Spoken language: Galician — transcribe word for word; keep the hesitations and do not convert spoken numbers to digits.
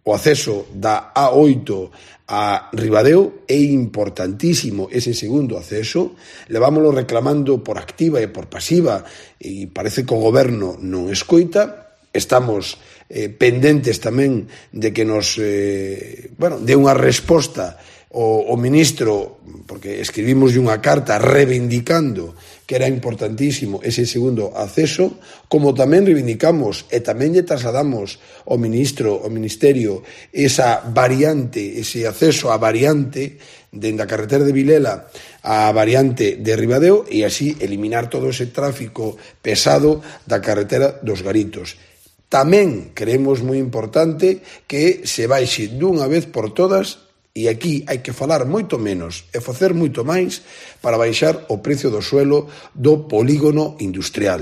o acceso da A oito a Ribadeo, é importantísimo ese segundo acceso, levámoslo reclamando por activa e por pasiva e parece que o goberno non escoita. Estamos eh, pendentes tamén de que nos eh, bueno, dé unha resposta o, o ministro, porque escribimos unha carta reivindicando que era importantísimo ese segundo acceso, como tamén reivindicamos e tamén lle trasladamos ao ministro, ao ministerio, esa variante, ese acceso á variante dende a carretera de Vilela á variante de Ribadeo e así eliminar todo ese tráfico pesado da carretera dos Garitos. Tamén creemos moi importante que se baixe dunha vez por todas, e aquí hai que falar moito menos e facer moito máis para baixar o precio do suelo do polígono industrial.